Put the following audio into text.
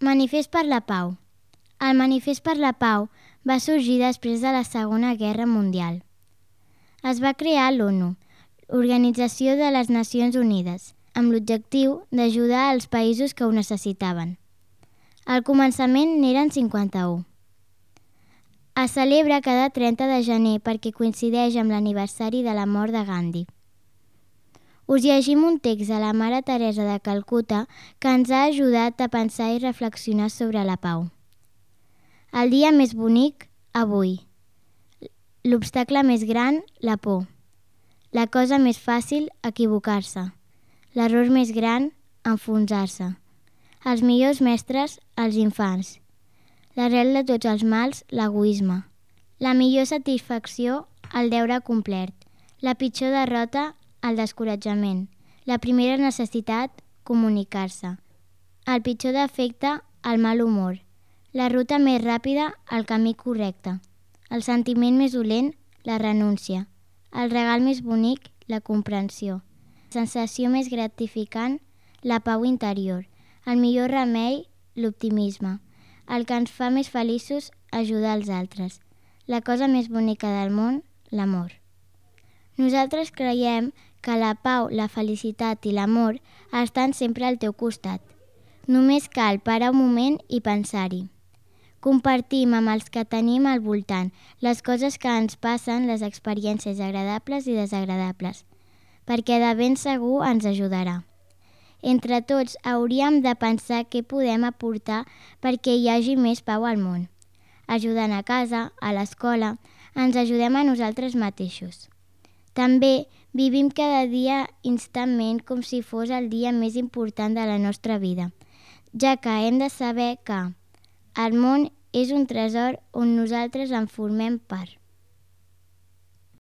Manifest per la Pau. El Manifest per la Pau va sorgir després de la Segona Guerra Mundial. Es va crear l'ONU, Organització de les Nacions Unides, amb l'objectiu d'ajudar als països que ho necessitaven. Al començament n'eren 51. Es celebra cada 30 de gener perquè coincideix amb l'aniversari de la mort de Gandhi. Us llegim un text de la Mare Teresa de Calcuta que ens ha ajudat a pensar i reflexionar sobre la pau. El dia més bonic, avui. L'obstacle més gran, la por. La cosa més fàcil, equivocar-se. L'error més gran, enfonsar-se. Els millors mestres, els infants. L'arrel de tots els mals, l'egoisme. La millor satisfacció, el deure complert. La pitjor derrota, el descoratjament. La primera necessitat, comunicar-se. El pitjor defecte, el mal humor. La ruta més ràpida, el camí correcte. El sentiment més dolent, la renúncia. El regal més bonic, la comprensió. La sensació més gratificant, la pau interior. El millor remei, l'optimisme. El que ens fa més feliços, ajudar els altres. La cosa més bonica del món, l'amor. Nosaltres creiem que la pau, la felicitat i l'amor estan sempre al teu costat. Només cal parar un moment i pensar-hi. Compartim amb els que tenim al voltant les coses que ens passen, les experiències agradables i desagradables, perquè de ben segur ens ajudarà. Entre tots hauríem de pensar què podem aportar perquè hi hagi més pau al món. Ajudant a casa, a l'escola, ens ajudem a nosaltres mateixos. També vivim cada dia instantment com si fos el dia més important de la nostra vida, ja que hem de saber que el món és un tresor on nosaltres en formem part.